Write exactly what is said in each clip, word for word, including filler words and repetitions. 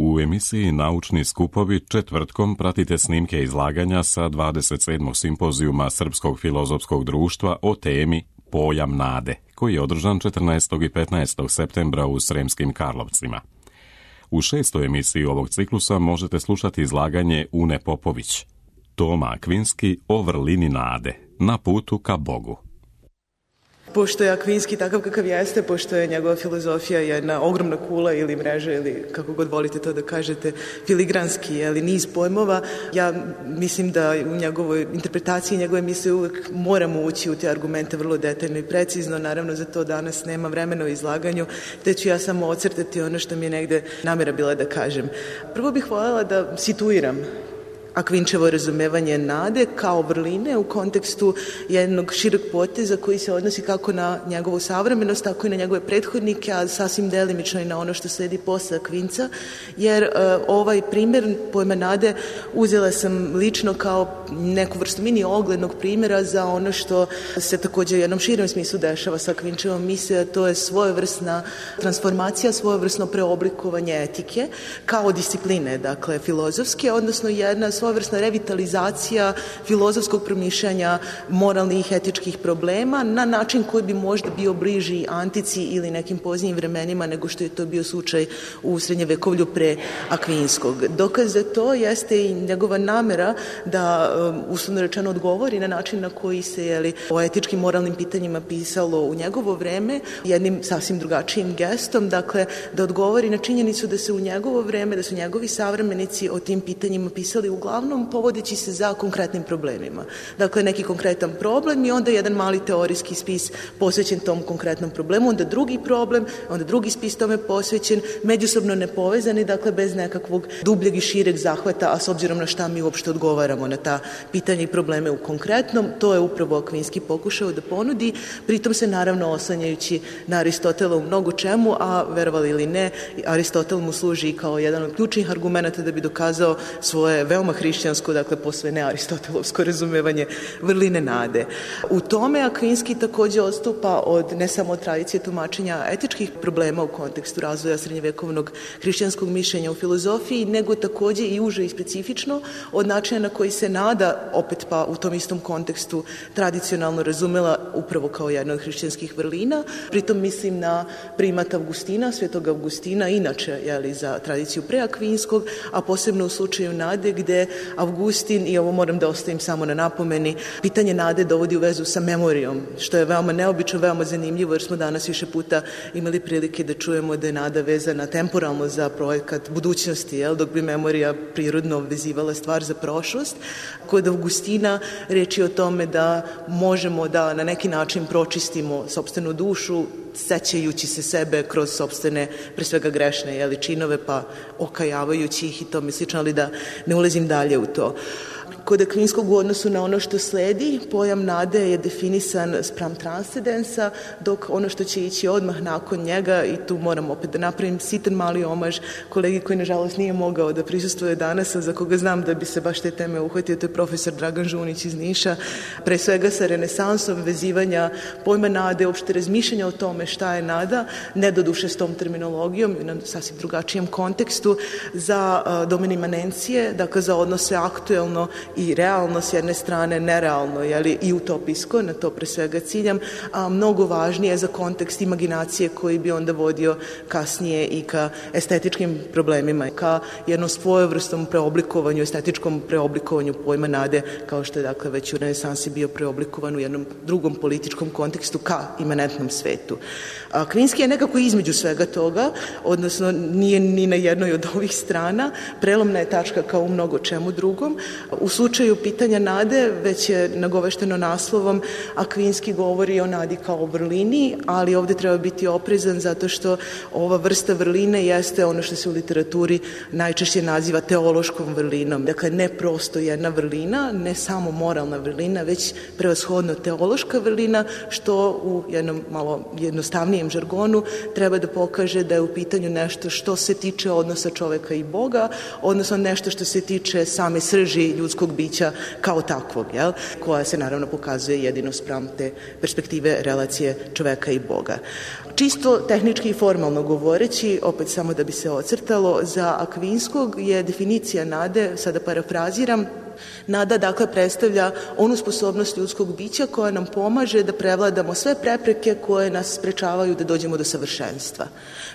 U emisiji Naučni skupovi četvrtkom pratite snimke izlaganja sa dvadeset sedmog simpozijuma Srpskog filozofskog društva o temi Pojam nade, koji je održan četrnaestog i petnaestog septembra u Sremskim Karlovcima. U šestoj emisiji ovog ciklusa možete slušati izlaganje Une Popović, Toma Akvinski o vrlini nade, na putu ka Bogu. Pošto je Akvinski takav kakav jeste, pošto je njegova filozofija jedna ogromna kula ili mreža ili kako god volite to da kažete, filigranski ili niz pojmova, ja mislim da u njegovoj interpretaciji njegove misle uvek moramo ući u te argumente vrlo detaljno i precizno. Naravno, za to danas nema vremena u izlaganju, te ću ja samo ocrtati ono što mi je negde namera bila da kažem. Prvo bih voljela da situiram Akvinčevo razumevanje nade kao vrline u kontekstu jednog šireg poteza koji se odnosi kako na njegovu savremenost, tako i na njegove prethodnike, a sasvim delimično i na ono što sledi posle Akvinca, jer uh, ovaj primjer pojma nade uzela sam lično kao neku vrstu mini oglednog primjera za ono što se također u jednom širem smislu dešava sa Akvinčevom misle, a to je svojevrsna transformacija, svojevrsno preoblikovanje etike kao discipline, dakle filozofske, odnosno jedna svojevrsna revitalizacija filozofskog promišljanja moralnih i etičkih problema na način koji bi možda bio bliži antici ili nekim poznijim vremenima nego što je to bio slučaj u srednjevekovlju pre Akvinskog. Dokaz za to jeste i njegova namera da uslovno rečeno odgovori na način na koji se jeli, o etičkim moralnim pitanjima pisalo u njegovo vreme jednim sasvim drugačijim gestom, dakle da odgovori na činjenicu da se u njegovo vreme, da su njegovi savremenici o tim pitanjima pisali uglavnom povodeći se za konkretnim problemima. Dakle, neki konkretan problem i onda jedan mali teorijski spis posvećen tom konkretnom problemu, onda drugi problem, onda drugi spis tome posvećen, međusobno nepovezani, dakle bez nekakvog dubljeg i šireg zahvata, a s obzirom na šta mi uopšte odgovaramo na ta pitanja i probleme u konkretnom, to je upravo Akvinski pokušao da ponudi, pritom se naravno oslanjajući na Aristotela u mnogo čemu, a verovali ili ne, Aristotel mu služi kao jedan od ključnih argumenata da bi dokazao svoje veoma hrišćansko, dakle posve ne aristotelovsko razumevanje vrline nade. U tome Akvinski također odstupa od ne samo od tradicije tumačenja etičkih problema u kontekstu razvoja srednjevekovnog hrišćanskog mišljenja u filozofiji, nego također i uže i specifično od načina na koji se nada, opet pa u tom istom kontekstu tradicionalno razumela upravo kao jedna od hrišćanskih vrlina. Pritom mislim na primat Avgustina, svetog Avgustina, inače jeli, za tradiciju pre Akvinskog, a posebno u slučaju nade gde Avgustin, i ovo moram da ostavim samo na napomeni, pitanje nade dovodi u vezu sa memorijom, što je veoma neobično, veoma zanimljivo, jer smo danas više puta imali prilike da čujemo da je nada vezana temporalno za projekat budućnosti, jel, dok bi memorija prirodno vezivala stvar za prošlost. Kod Avgustina reč je o tome da možemo da na neki način pročistimo sopstvenu dušu, sećajući se sebe kroz sopstvene, pre svega grešne, jeli, činove, pa okajavajući ih i to mi slično, ali da ne ulazim dalje u to. Kod Akvinskog u odnosu na ono što sledi, pojam nade je definisan spram transcendensa, dok ono što će ići odmah nakon njega, i tu moram opet da napravim sitan mali omaž kolegi koji nažalost nije mogao da prisustvuje danas, a za koga znam da bi se baš te teme uhvatio, to je profesor Dragan Žunić iz Niša, pre svega sa renesansom vezivanja pojma nade, uopšte razmišljanja o tome šta je nada, ne doduše s tom terminologijom, na sasvim drugačijem kontekstu, za domen imanencije, dakle za odnose aktuelno i realno s jedne strane, nerealno, jeli, i utopijsko, na to pre svega ciljam, a mnogo važnije za kontekst imaginacije koji bi onda vodio kasnije i ka estetičkim problemima, ka jednom svojevrstom preoblikovanju, estetičkom preoblikovanju pojma nade, kao što je dakle već u renesansi bio preoblikovan u jednom drugom političkom kontekstu ka imanentnom svetu. Akvinski je nekako između svega toga, odnosno nije ni na jednoj od ovih strana, prelomna je tačka kao u mnogo čemu drugom. U slučaju pitanja nade, već je nagovešteno naslovom, Akvinski govori o nadi kao vrlini, ali ovdje treba biti oprezan zato što ova vrsta vrline jeste ono što se u literaturi najčešće naziva teološkom vrlinom. Dakle, ne prosto jedna vrlina, ne samo moralna vrlina, već prevashodno teološka vrlina, što u jednom malo jednostavnijem žargonu treba da pokaže da je u pitanju nešto što se tiče odnosa čoveka i Boga, odnosno nešto što se tiče same srži ljudskog ljudskog bića kao takvog, jel? Koja se naravno pokazuje jedino spram te perspektive relacije čoveka i Boga. Čisto tehnički i formalno govoreći, opet samo da bi se ocrtalo, za Akvinskog je definicija nade, sada parafraziram, nada dakle predstavlja onu sposobnost ljudskog bića koja nam pomaže da prevladamo sve prepreke koje nas sprečavaju da dođemo do savršenstva.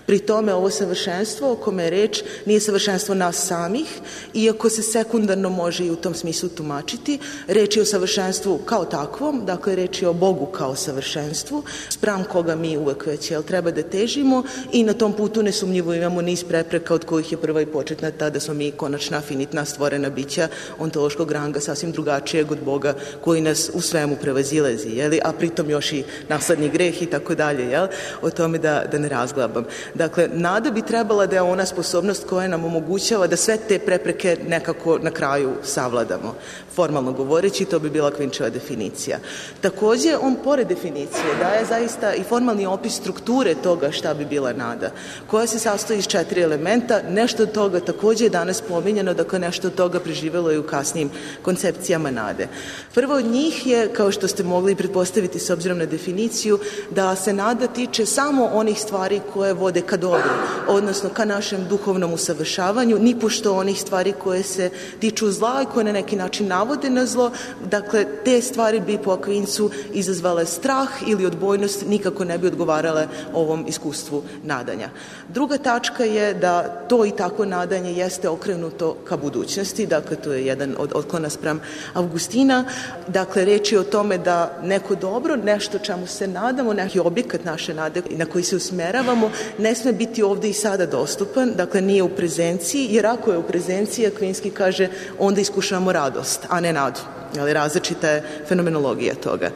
Pri tome ovo savršenstvo o kome je reč nije savršenstvo nas samih, iako se sekundarno može i u tom smislu tumačiti. Reč je o savršenstvu kao takvom, dakle reč je o Bogu kao savršenstvu, spram koga mi uvek već jel, treba da težimo i na tom putu nesumnjivo imamo niz prepreka od kojih je prva i početna ta da smo mi konačna finitna stvorena bića ontološkog ranga sasvim drugačijeg od Boga koji nas u svemu prevazilazi, jeli, a pritom još i nasledni greh i tako dalje, jel, o tome da, da ne razglabam. Dakle, nada bi trebala da je ona sposobnost koja nam omogućava da sve te prepreke nekako na kraju savladamo. Formalno govoreći, to bi bila Kvinčeva definicija. Takođe, on pored definicije daje zaista i formalni opis strukture toga šta bi bila nada, koja se sastoji iz četiri elementa. Nešto od toga takođe je danas pominjeno, dakle nešto od toga preživelo i u kasnijim koncepcijama nade. Prvo od njih je, kao što ste mogli pretpostaviti s obzirom na definiciju, da se nada tiče samo onih stvari koje vode ka dobru, odnosno ka našem duhovnom usavršavanju, nipošto onih stvari koje se tiču zla i koje na neki način navode na zlo. Dakle, te stvari bi po Akvincu izazvale strah ili odbojnost, nikako ne bi odgovarale ovom iskustvu nadanja. Druga tačka je da to i tako nadanje jeste okrenuto ka budućnosti, dakle to je jedan od otklona spram Augustina. Dakle, reč je o tome da neko dobro, nešto čemu se nadamo, neki objekat naše nade na koji se usmeravamo, ne sme biti ovde i sada dostupan, dakle nije u prezenciji, jer ako je u prezenciji, Akvinski kaže, onda iskušamo radost, a ne nadu. Ali različita je fenomenologija toga.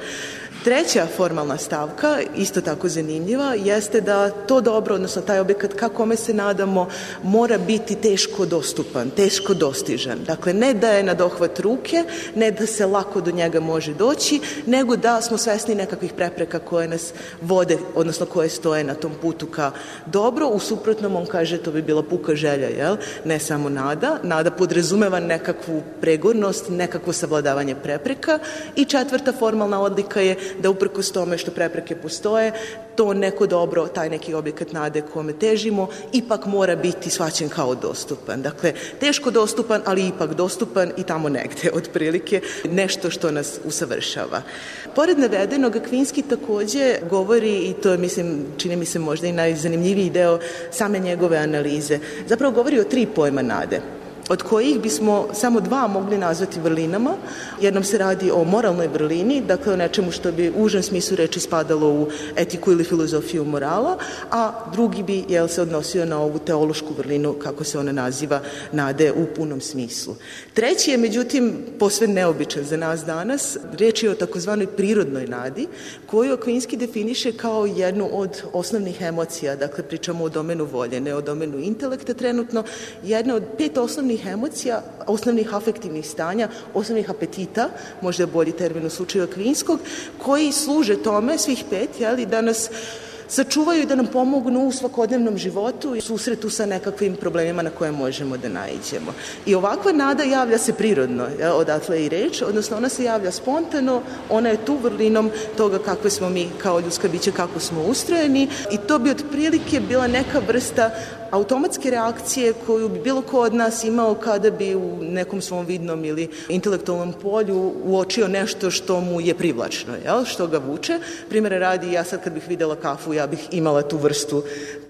Treća formalna stavka, isto tako zanimljiva, jeste da to dobro, odnosno taj objekat ka kome se nadamo, mora biti teško dostupan, teško dostižan. Dakle, ne da je na dohvat ruke, ne da se lako do njega može doći, nego da smo svesni nekakvih prepreka koje nas vode, odnosno koje stoje na tom putu ka dobro. U suprotnom, on kaže, to bi bila puka želja, jel? Ne samo nada. Nada podrazumeva nekakvu pregornost, nekakvo savladavanje prepreka. I četvrta formalna odlika je da uprkos tome što prepreke postoje, to neko dobro, taj neki objekat nade kome težimo, ipak mora biti shvaćen kao dostupan. Dakle, teško dostupan, ali ipak dostupan i tamo negde, otprilike, nešto što nas usavršava. Pored navedenog, Akvinski takođe govori, i to je, mislim, čini mi se možda i najzanimljiviji deo same njegove analize, zapravo govori o tri pojma nade, od kojih bismo samo dva mogli nazvati vrlinama. Jednom se radi o moralnoj vrlini, dakle o nečemu što bi u užem smislu reči spadalo u etiku ili filozofiju morala, a drugi bi jel, se odnosio na ovu teološku vrlinu, kako se ona naziva, nade u punom smislu. Treći je, međutim, posve neobičan za nas danas. Riječ je o takozvanoj prirodnoj nadi, koju Akvinski definiše kao jednu od osnovnih emocija, dakle pričamo o domenu volje, ne o domenu intelekta trenutno, jedna od pet osnovnih emocija, osnovnih afektivnih stanja, osnovnih apetita, možda je bolji termin u slučaju Akvinskog, koji služe tome, svih pet, jeli, da nas sačuvaju i da nam pomognu u svakodnevnom životu i susretu sa nekakvim problemima na koje možemo da naiđemo. I ovakva nada javlja se prirodno, ja, odatle i reč, odnosno ona se javlja spontano, ona je tu vrlinom toga kakve smo mi kao ljudska bića, kako smo ustrojeni i to bi otprilike bila neka vrsta automatske reakcije koju bi bilo ko od nas imao kada bi u nekom svom vidnom ili intelektualnom polju uočio nešto što mu je privlačno, jel? Što ga vuče. Primjera radi, ja sad kad bih videla kafu, ja bih imala tu vrstu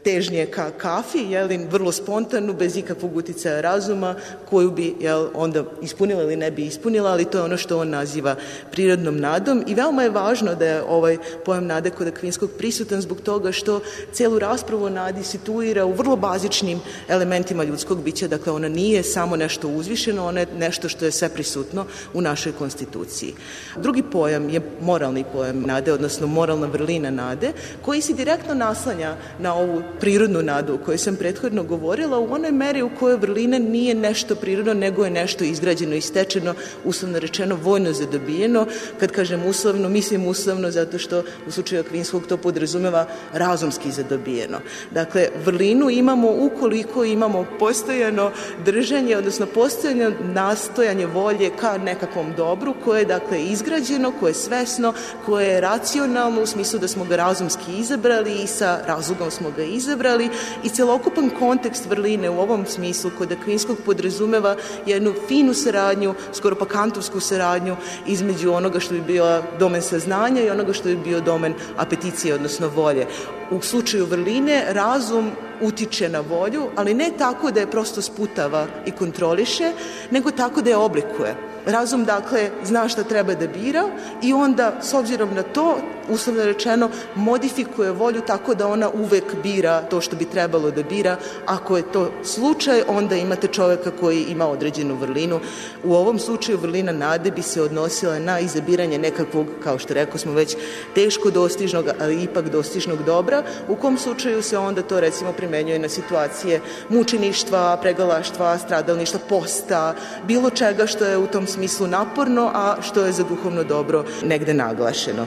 težnje ka kafi, jel, vrlo spontanu, bez ikakvog uticaja razuma, koju bi jel, onda ispunila ili ne bi ispunila, ali to je ono što on naziva prirodnom nadom i veoma je važno da je ovaj pojam nade kod Akvinskog prisutan zbog toga što celu raspravu o nadi situira u vrlo bazičnim elementima ljudskog bića, dakle ona nije samo nešto uzvišeno, ona je nešto što je sve prisutno u našoj konstituciji. Drugi pojam je moralni pojam nade, odnosno moralna vrlina nade, koji se direktno naslanja na ovu prirodnu nadu o kojoj sam prethodno govorila u onoj meri u kojoj vrlina nije nešto prirodno, nego je nešto izgrađeno i stečeno, uslovno rečeno vojno zadobijeno. Kad kažem uslovno, mislim uslovno zato što u slučaju Akvinskog to podrazumeva razumski zadobijeno. Dakle, vrlinu imamo ukoliko imamo postojano držanje, odnosno postojano nastojanje volje ka nekakvom dobru koje je dakle izgrađeno, koje je svesno, koje je racionalno u smislu da smo ga razumski izabrali i sa razlogom smo ga izabrali i celokupan kontekst vrline u ovom smislu kod Akvinskog podrazumeva jednu finu saradnju, skoro pa kantovsku saradnju između onoga što bi bio domen saznanja i onoga što bi bio domen apeticije, odnosno volje. U slučaju vrline razum utiče na volju, ali ne tako da je prosto sputava i kontroliše, nego tako da je oblikuje. Razum, dakle, zna šta treba da bira i onda, s obzirom na to, uslovno rečeno, modifikuje volju tako da ona uvek bira to što bi trebalo da bira. Ako je to slučaj, onda imate čoveka koji ima određenu vrlinu. U ovom slučaju vrlina nade bi se odnosila na izabiranje nekakvog, kao što rekao smo već, teško dostižnog, ali ipak dostižnog dobra, u kom slučaju se onda to recimo primenjuje na situacije mučeništva, pregalaštva, stradalništva, posta, bilo čega što je u tom smislu naporno, a što je za duhovno dobro negde naglašeno.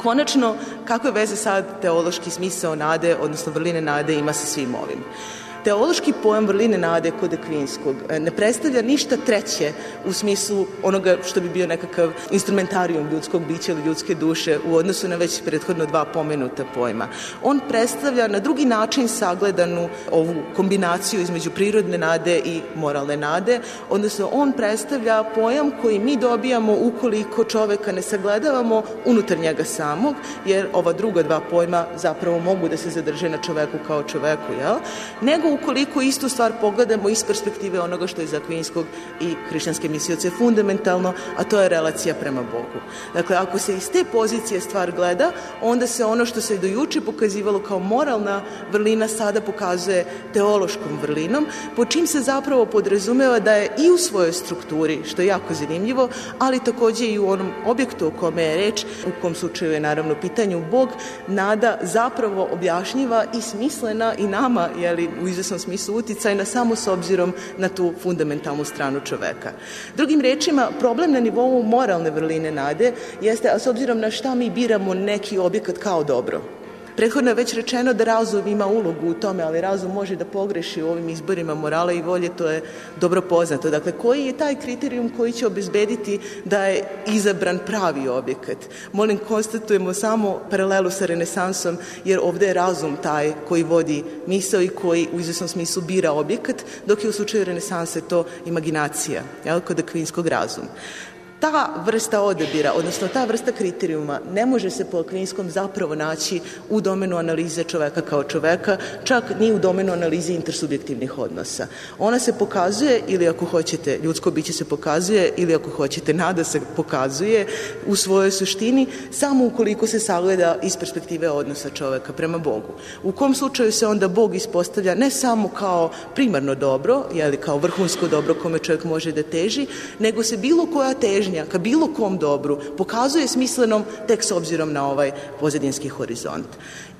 Konačno, kakve veze sad teološki smisao nade, odnosno vrline nade ima sa svim ovim? Teološki pojam vrline nade kod Akvinskog ne predstavlja ništa treće u smislu onoga što bi bio nekakav instrumentarijum ljudskog bića ili ljudske duše u odnosu na već prethodno dva pomenuta pojma. On predstavlja na drugi način sagledanu ovu kombinaciju između prirodne nade i moralne nade, odnosno on predstavlja pojam koji mi dobijamo ukoliko čoveka ne sagledavamo unutar njega samog, jer ova druga dva pojma zapravo mogu da se zadrže na čoveku kao čoveku, jel? Nego ukoliko istu stvar pogledamo iz perspektive onoga što je za Akvinskog i hrišćanske mislioce fundamentalno, a to je relacija prema Bogu. Dakle, ako se iz te pozicije stvar gleda, onda se ono što se do juče pokazivalo kao moralna vrlina sada pokazuje teološkom vrlinom, po čim se zapravo podrazumeva da je i u svojoj strukturi, što je jako zanimljivo, ali takođe i u onom objektu o kome je reč, u kom slučaju je naravno pitanju Bog, nada zapravo objašnjiva i smislena i nama, jeli, u izvesnom smislu uticajna samo s obzirom na tu fundamentalnu stranu čoveka. Drugim rečima, problem na nivou moralne vrline nade jeste, a s obzirom na šta mi biramo neki objekat kao dobro. Prethodno je već rečeno da razum ima ulogu u tome, ali razum može da pogreši u ovim izborima morala i volje, to je dobro poznato. Dakle, koji je taj kriterijum koji će obezbediti da je izabran pravi objekat? Molim, konstatujemo samo paralelu sa renesansom, jer ovde je razum taj koji vodi misao i koji u izvesnom smislu bira objekat, dok je u slučaju renesanse to imaginacija, jel, kod Akvinskog razum. Ta vrsta odabira, odnosno ta vrsta kriterijuma ne može se po Akvinskom zapravo naći u domenu analize čoveka kao čoveka, čak ni u domenu analize intersubjektivnih odnosa. Ona se pokazuje, ili ako hoćete, ljudsko biće se pokazuje, ili ako hoćete, nada se pokazuje u svojoj suštini, samo ukoliko se sagleda iz perspektive odnosa čoveka prema Bogu. U kom slučaju se onda Bog ispostavlja ne samo kao primarno dobro, jeli kao vrhunsko dobro kome čovjek može da teži, nego se bilo koja težnja ka bilo kom dobru pokazuje smislenom tek s obzirom na ovaj pozadinski horizont.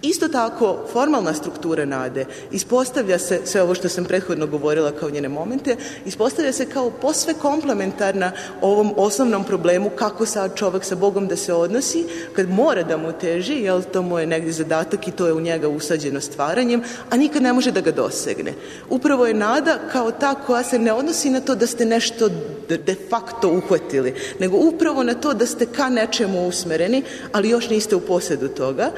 Isto tako, formalna struktura nade ispostavlja se, sve ovo što sam prethodno govorila kao njene momente, ispostavlja se kao posve komplementarna ovom osnovnom problemu kako sad čovek sa Bogom da se odnosi, kad mora da mu teži, jel to mu je negdje zadatak i to je u njega usađeno stvaranjem, a nikad ne može da ga dosegne. Upravo je nada kao ta koja se ne odnosi na to da ste nešto de facto uhvatili, nego upravo na to da ste ka nečemu usmereni, ali još niste u posjedu toga,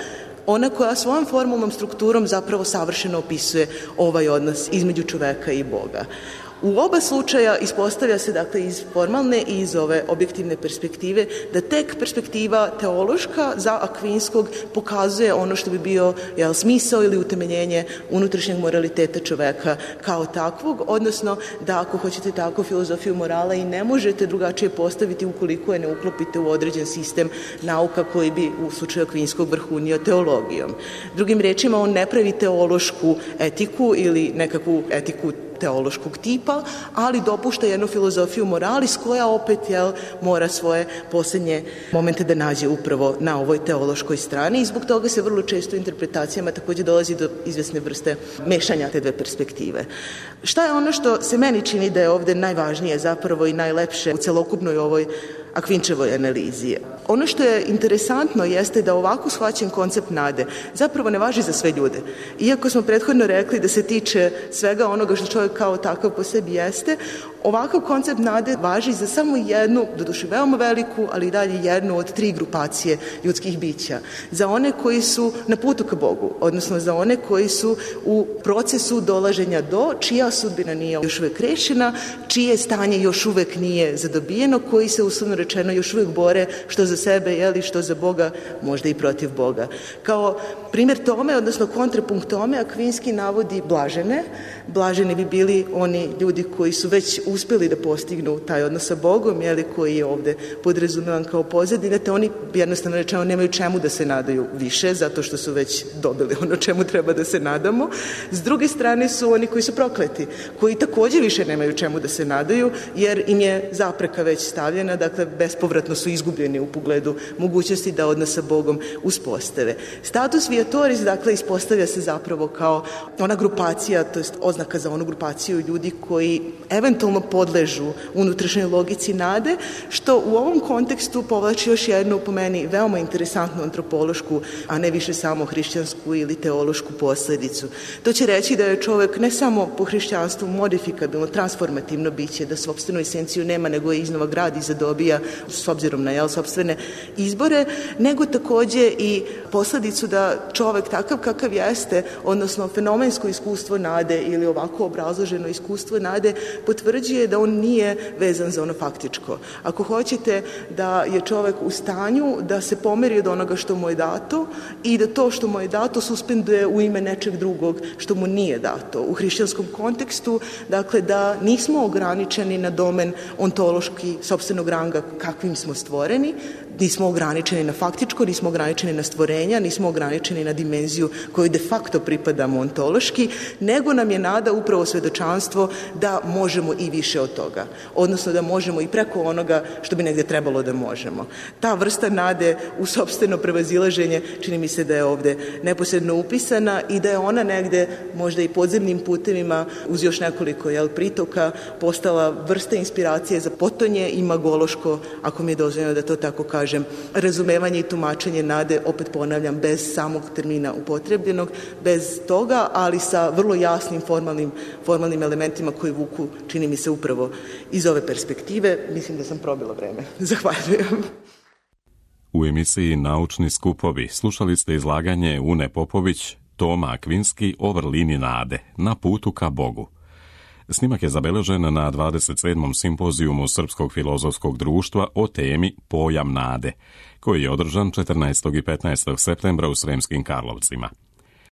ona koja svojom formalnom strukturom zapravo savršeno opisuje ovaj odnos između čoveka i Boga. U oba slučaja ispostavlja se, dakle, iz formalne i iz ove objektivne perspektive da tek perspektiva teološka za Akvinskog pokazuje ono što bi bio, jel, smisao ili utemeljenje unutrašnjeg moraliteta čoveka kao takvog, odnosno da, ako hoćete tako, filozofiju morala i ne možete drugačije postaviti ukoliko je ne uklopite u određen sistem nauka koji bi u slučaju Akvinskog vrhunio teologijom. Drugim rečima, on ne pravi teološku etiku ili nekakvu etiku teološkog tipa, ali dopušta jednu filozofiju moralis koja opet jel, mora svoje posljednje momente da nađe upravo na ovoj teološkoj strani i zbog toga se vrlo često u interpretacijama također dolazi do izvesne vrste mešanja te dve perspektive. Šta je ono što se meni čini da je ovdje najvažnije zapravo i najlepše u celokupnoj ovoj Akvinčevoj analizi? Ono što je interesantno jeste da ovako shvaćen koncept nade zapravo ne važi za sve ljude. Iako smo prethodno rekli da se tiče svega onoga što čovjek kao takav po sebi jeste, ovakav koncept nade važi za samo jednu, doduše veoma veliku, ali i dalje jednu od tri grupacije ljudskih bića. Za one koji su na putu ka Bogu, odnosno za one koji su u procesu dolaženja do, čija sudbina nije još uvijek rešena, čije stanje još uvijek nije zadobijeno, koji se uslovno rečeno još uvijek bore što za sebe, jeli, što za Boga, možda i protiv Boga. Kao primjer tome, odnosno kontrapunkt tome, Akvinski navodi blažene. Blaženi bi bili oni ljudi koji su već uspjeli da postignu taj odnos sa Bogom, jeli, koji je ovdje podrazumevan kao pozadina, te oni jednostavno rečeno nemaju čemu da se nadaju više, zato što su već dobili ono čemu treba da se nadamo. S druge strane su oni koji su prokleti, koji također više nemaju čemu da se nadaju, jer im je zapreka već stavljena, dakle bespovratno su izgubljeni u pogledu mogućnosti da odnos sa Bogom uspostave. Status viatoris, dakle, ispostavlja se zapravo kao ona grupacija, to jest oznaka za onu grupaciju ljudi koji eventualno podležu unutrašnjoj logici nade, što u ovom kontekstu povlači još jednu, po meni, veoma interesantnu antropološku, a ne više samo hrišćansku ili teološku posljedicu. To će reći da je čovjek ne samo po hrišćanstvu modifikabilno, transformativno biće, da sopstvenu esenciju nema, nego je iznova gradi i zadobija s obzirom na jel, sopstvene izbore, nego također i posljedicu da čovjek takav kakav jeste, odnosno fenomensko iskustvo nade ili ovako obrazloženo iskustvo nade, potvrđuje da on nije vezan za ono faktičko. Ako hoćete da je čovjek u stanju da se pomeri od onoga što mu je dato i da to što mu je dato suspenduje u ime nečeg drugog što mu nije dato. U hrišćanskom kontekstu, dakle, da nismo ograničeni na domen ontološki sopstvenog ranga kakvim smo stvoreni, nismo ograničeni na faktičko, nismo ograničeni na stvorenja, nismo ograničeni na dimenziju koju de facto pripadamo ontološki, nego nam je nada upravo svedočanstvo da možemo i više od toga. Odnosno da možemo i preko onoga što bi negdje trebalo da možemo. Ta vrsta nade u sopstveno prevazilaženje čini mi se da je ovdje neposredno upisana i da je ona negdje možda i podzemnim putevima uz još nekoliko jel, pritoka postala vrsta inspiracije za potonje i magološko, ako mi je dozvoljeno da to tako kažem, razumevanje i tumačenje nade, opet ponavljam, bez samog termina upotrebljenog, bez toga, ali sa vrlo jasnim formalnim, formalnim elementima koji vuku, čini mi se, upravo iz ove perspektive. Mislim da sam probila vreme. Zahvaljujem. U emisiji Naučni skupovi slušali ste izlaganje Une Popović, Toma Akvinski o vrlini nade, na putu ka Bogu. Snimak je zabeležen na dvadeset sedmom simpozijumu Srpskog filozofskog društva o temi Pojam nade, koji je održan četrnaestog i petnaestog septembra u Sremskim Karlovcima.